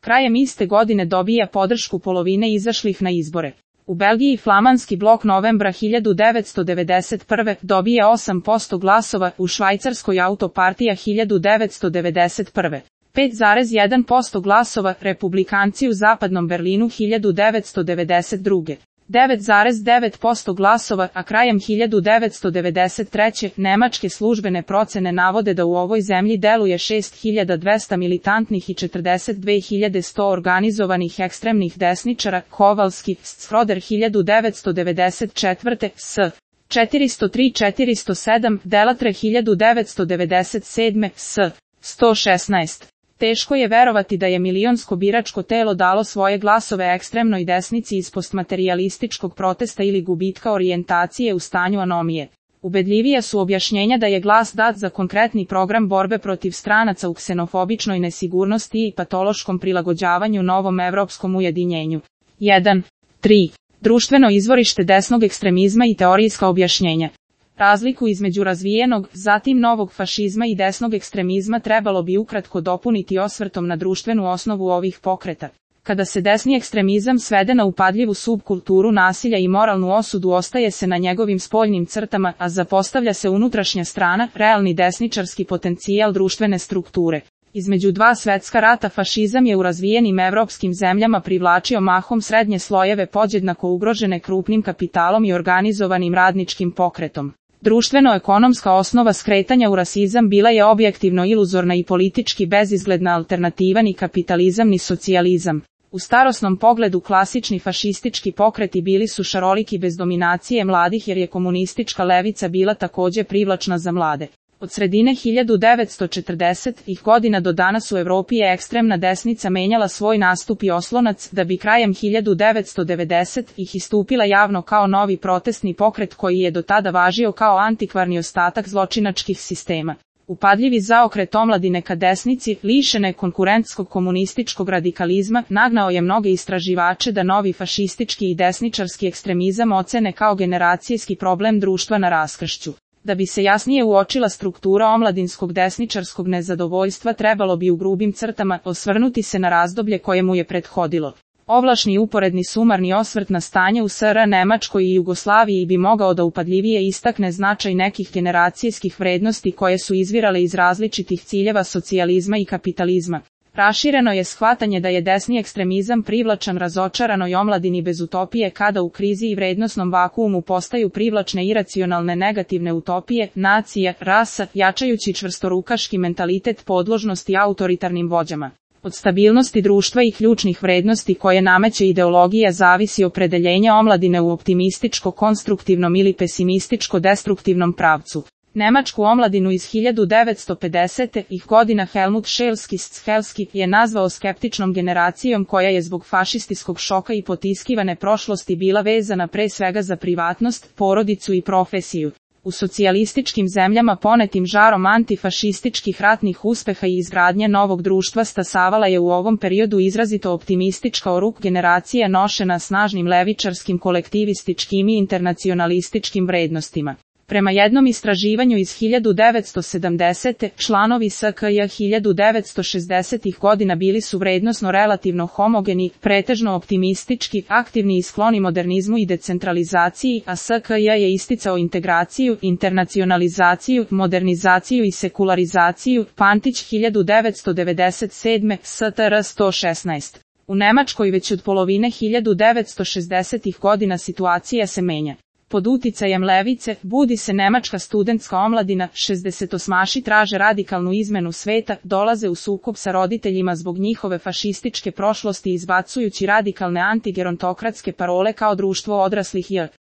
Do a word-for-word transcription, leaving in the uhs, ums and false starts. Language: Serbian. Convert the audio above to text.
Krajem iste godine dobija podršku polovine izašlih na izbore. U Belgiji flamanski blok novembra hiljadu devetsto devedeset prve dobija osam posto glasova, u Švajcarskoj autopartija hiljadu devetsto devedeset prve pet zarez jedan posto glasova, republikanci u zapadnom Berlinu hiljadu devetsto devedeset druge devet zarez devet posto glasova, a krajem hiljadu devetsto devedeset treće nemačke službene procene navode da u ovoj zemlji deluje šest hiljada dvesta militantnih i četrdeset dve hiljade sto organizovanih ekstremnih desničara. Kovalski, Schroeder hiljadu devetsto devedeset četvrte s. četiristo tri četiristo sedam, Delatre hiljadu devetsto devedeset sedme s. sto šesnaest. Teško je verovati da je milionsko biračko telo dalo svoje glasove ekstremnoj desnici iz postmaterijalističkog protesta ili gubitka orijentacije u stanju anomije. Ubedljivija su objašnjenja da je glas dat za konkretni program borbe protiv stranaca u ksenofobičnoj nesigurnosti i patološkom prilagođavanju novom evropskom ujedinjenju. jedan. tri. Društveno izvorište desnog ekstremizma i teorijska objašnjenja. Razliku između razvijenog, zatim novog fašizma i desnog ekstremizma trebalo bi ukratko dopuniti osvrtom na društvenu osnovu ovih pokreta. Kada se desni ekstremizam svede na upadljivu subkulturu nasilja i moralnu osudu, ostaje se na njegovim spoljnim crtama, a zapostavlja se unutrašnja strana, realni desničarski potencijal društvene strukture. Između dva svetska rata fašizam je u razvijenim evropskim zemljama privlačio mahom srednje slojeve podjednako ugrožene krupnim kapitalom i organizovanim radničkim pokretom. Društveno-ekonomska osnova skretanja u rasizam bila je objektivno iluzorna i politički bezizgledna alternativa ni kapitalizam ni socijalizam. U starosnom pogledu klasični fašistički pokreti bili su šaroliki bez dominacije mladih jer je komunistička levica bila također privlačna za mlade. Od sredine hiljadu devetsto četrdesetih godina do danas u Evropi je ekstremna desnica menjala svoj nastup i oslonac, da bi krajem hiljadu devetsto devedesetih istupila javno kao novi protestni pokret koji je do tada važio kao antikvarni ostatak zločinačkih sistema. Upadljivi zaokret omladine ka desnici, lišene konkurentskog komunističkog radikalizma, nagnao je mnoge istraživače da novi fašistički i desničarski ekstremizam ocene kao generacijski problem društva na raskršću. Da bi se jasnije uočila struktura omladinskog desničarskog nezadovoljstva, trebalo bi u grubim crtama osvrnuti se na razdoblje koje mu je prethodilo. Ovlašni uporedni sumarni osvrt na stanje u S R A, Nemačkoj i Jugoslaviji bi mogao da upadljivije istakne značaj nekih generacijskih vrednosti koje su izvirale iz različitih ciljeva socijalizma i kapitalizma. Rašireno je shvatanje da je desni ekstremizam privlačan razočaranoj omladini bez utopije, kada u krizi i vrednosnom vakuumu postaju privlačne iracionalne negativne utopije, nacija, rasa, jačajući čvrstorukaški mentalitet podložnosti autoritarnim vođama. Od stabilnosti društva i ključnih vrednosti koje nameće ideologija zavisi opredeljenje omladine u optimističko-konstruktivnom ili pesimističko-destruktivnom pravcu. Nemačku omladinu iz hiljadu devetsto pedesetih godina Helmut Schelsky je nazvao skeptičnom generacijom koja je zbog fašistiskog šoka i potiskivane prošlosti bila vezana pre svega za privatnost, porodicu i profesiju. U socijalističkim zemljama ponetim žarom antifašističkih ratnih uspeha i izgradnje novog društva stasavala je u ovom periodu izrazito optimistička oruk generacija nošena snažnim levičarskim kolektivističkim i internacionalističkim vrednostima. Prema jednom istraživanju iz hiljadu devetsto sedamdesete članovi S K J hiljadu devetsto šezdesetih godina bili su vrednosno relativno homogeni, pretežno optimistički, aktivni i skloni modernizmu i decentralizaciji, a S K J je isticao integraciju, internacionalizaciju, modernizaciju i sekularizaciju. Pantić hiljadu devetsto devedeset sedme S T R sto šesnaest. U Nemačkoj već od polovine hiljadu devetsto šezdesetih godina situacija se menja. Pod uticajem levice, budi se nemačka studentska omladina, šezdesetosmaši traže radikalnu izmenu sveta, dolaze u sukob sa roditeljima zbog njihove fašističke prošlosti izbacujući radikalne antigerontokratske parole kao društvo odraslih J.